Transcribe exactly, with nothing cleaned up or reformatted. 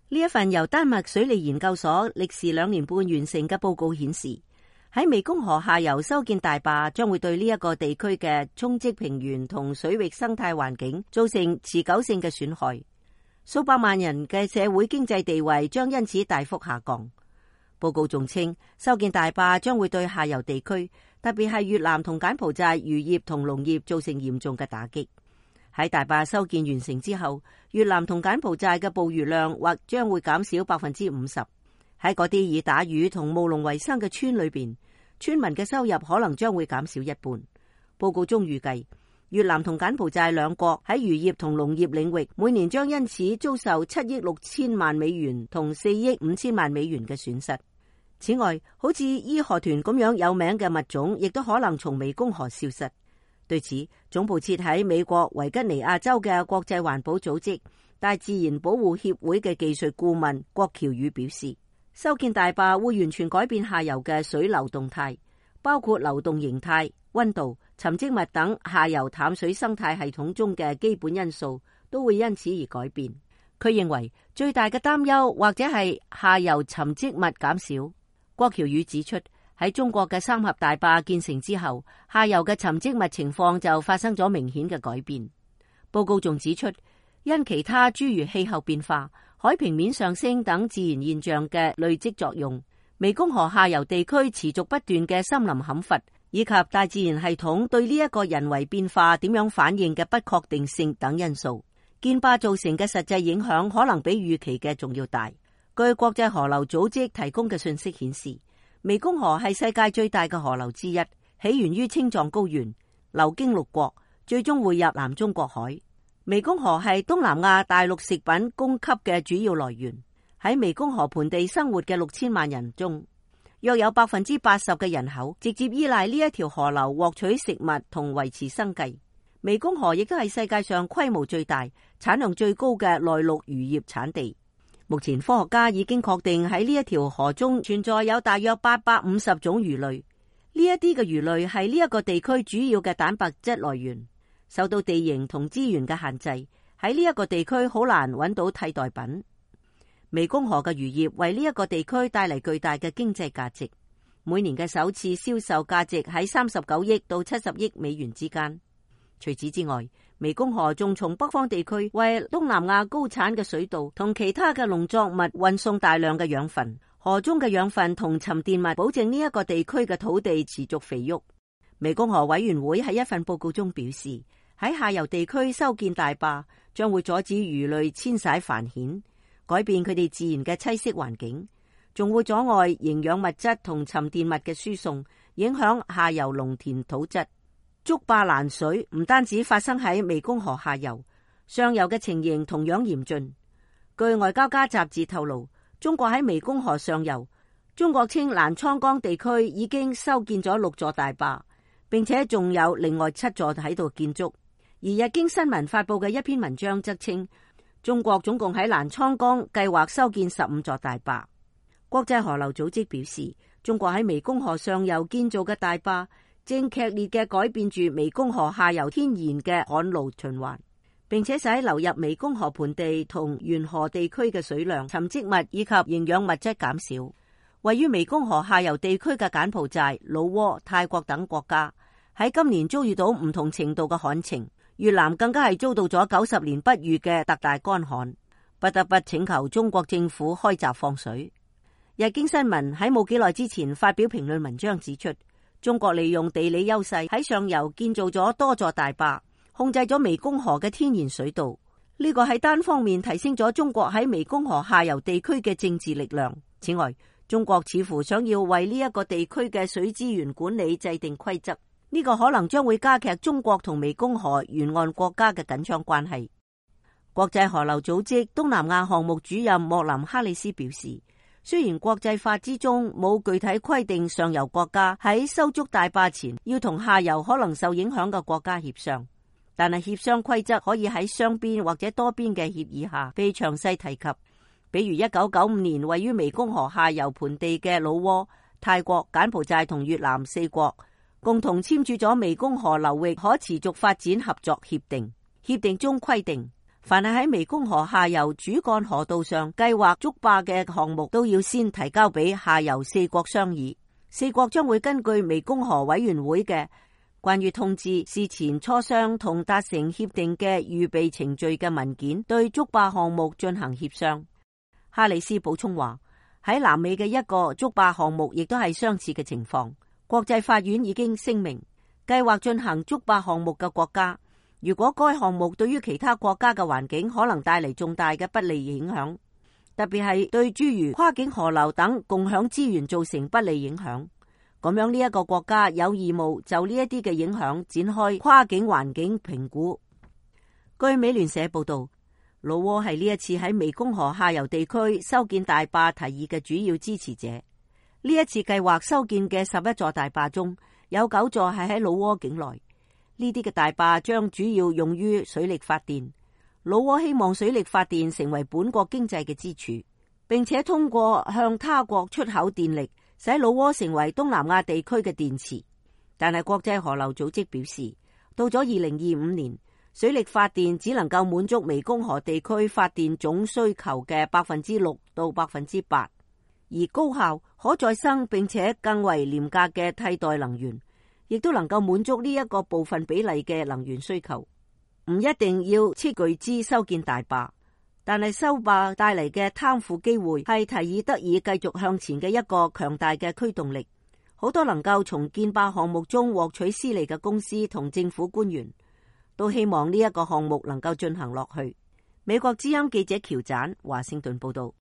呢一份由丹麥水利研究所歷時兩年半完成嘅報告顯示，喺湄公河下游修建大壩將會對呢一個地區嘅沖積平原同水域生態環境造成持久性嘅損害，數百萬人嘅社會經濟地位將因此大幅下降。報告仲稱，修建大壩將會對下游地區，特別係越南同柬埔寨漁業同農業造成嚴重嘅打擊。喺大壩修建完成之後，越南同柬埔寨嘅捕魚量或將會減少百分之五十。喺嗰啲以打魚同務農為生嘅村裏邊，村民嘅收入可能將會減少一半。報告中預計，越南同柬埔寨兩國喺漁業同農業領域每年將因此遭受七億六千萬美元同四億五千萬美元嘅損失。此外，好似伊河豚咁樣有名嘅物種，亦都可能從湄公河消失。對此，總部設喺美國維吉尼亞州嘅國際環保組織大自然保護協會嘅技術顧問郭喬宇表示，修建大壩會完全改變下游嘅水流動態，包括流動形態、溫度、沉積物等下游淡水生態系統中嘅基本因素都會因此而改變。佢認為最大嘅擔憂或者係下游沉積物減少。郭喬宇指出，喺中國嘅三峽大壩建成之後，下游嘅沉積物情況就發生咗明顯嘅改變。報告仲指出，因其他諸如氣候變化、海平面上升等自然現象嘅累積作用，湄公河下游地區持續不斷嘅森林砍伐，以及大自然系統對呢一個人為變化點樣反應嘅不確定性等因素，建壩造成嘅實際影響可能比預期嘅仲要大。據國際河流組織提供嘅信息顯示，湄公河係世界最大嘅河流之一，起源於青藏高原，流經六國，最終匯入南中國海。湄公河係東南亞大陸食品供給嘅主要來源。喺湄公河盆地生活嘅六千萬人中，約有百分之八十嘅人口直接依賴呢一條河流獲取食物同維持生計。湄公河亦都係世界上規模最大、產量最高嘅內陸漁業產地。目前科學家已經確定喺呢一條河中存在有大約八百五十種魚類，呢一啲嘅魚類係呢一個地區主要嘅蛋白質來源。受到地形同資源嘅限制，喺呢一個地區好難揾到替代品。湄公河嘅漁業為呢一個地區帶嚟巨大嘅經濟價值，每年嘅首次銷售價值喺三十九億到七十億美元之間。除此之外，湄公河仲從北方地區為東南亞高產嘅水稻同其他嘅農作物運送大量嘅養分，河中嘅養分同沉澱物保證呢一個地區嘅土地持續肥沃。湄公河委員會喺一份報告中表示，喺下游地區修建大壩將會阻止魚類遷徙繁衍，改變佢哋自然嘅棲息環境，仲會阻礙營養物質同沉澱物嘅輸送，影響下游農田土質。築壩攔水唔單止發生喺湄公河下游，上游嘅情形同樣嚴峻。據外交家雜誌透露，中國喺湄公河上游，中國稱瀾滄江地區已經修建咗六座大壩，並且仲有另外七座喺度建築。而日經新聞發佈嘅一篇文章則稱，中國總共喺瀾滄江計劃修建十五座大壩。國際河流組織表示，中國喺湄公河上游建造嘅大壩正劇烈嘅改變住湄公河下游天然嘅旱澇循環，並且使流入湄公河盆地同沿河地區嘅水量、沉積物以及營養物質減少。位於湄公河下游地區嘅柬埔寨、老撾、泰國等國家喺今年遭遇到唔同程度嘅旱情，越南更加係遭到咗九十年不遇嘅特大乾旱，不得不請求中國政府開閘放水。日經新聞喺冇幾耐之前發表評論文章指出，中國利用地理優勢喺上游建造咗多座大壩，控制咗湄公河嘅天然水道。呢個係單方面提升咗中國喺湄公河下游地區嘅政治力量。此外，中國似乎想要為呢一個地區嘅水資源管理制定規則，呢個可能將會加劇中國同湄公河沿岸國家嘅緊張關係。國際河流組織東南亞項目主任莫林哈里斯表示，雖然國際法之中冇具體規定上游國家喺修築大壩前要同下游可能受影響嘅國家協商，但係協商規則可以喺雙邊或者多邊嘅協議下被詳細提及。比如一九九五年位於湄公河下游盆地嘅老撾、泰國、柬埔寨同越南四國共同簽署咗湄公河流域可持續發展合作協定。協定中規定，凡係喺湄公河下游主幹河道上計劃築壩嘅項目，都要先提交俾下游四國商議。四國將會根據湄公河委員會嘅關於通知事前磋商同達成協定嘅預備程序嘅文件，對築壩項目進行協商。哈里斯補充話，喺南美嘅一個築壩項目亦都係相似嘅情況。國際法院已經聲明，計劃進行築壩項目嘅國家，如果該項目對於其他國家嘅環境可能帶嚟重大嘅不利影響，特別係對諸如跨境河流等共享資源造成不利影響，咁樣呢一個國家有義務就呢一啲嘅影響展開跨境環境評估。據美聯社報道，老撾係呢一次喺湄公河下游地區修建大壩提議嘅主要支持者。呢一次計劃修建嘅十一座大壩中，有九座係喺老撾境內。呢啲嘅大壩將主要用於水力發電。老撾希望水力發電成為本國經濟嘅支柱，並且通過向他國出口電力，使老撾成為東南亞地區嘅電池。但係國際河流組織表示，到咗二零二五年，水力發電只能夠滿足湄公河地區發電總需求嘅百分之六到百分之八。而高效、可再生並且更為廉價嘅替代能源，亦都能夠滿足呢一個部分比例嘅能源需求。唔一定要斥巨資修建大壩，但係修壩帶嚟嘅貪腐機會係提議得以繼續向前嘅一個強大嘅驅動力。好多能夠從建壩項目中獲取私利嘅公司同政府官員，都希望呢一個項目能夠進行落去。美國之音記者喬盞華盛頓報道。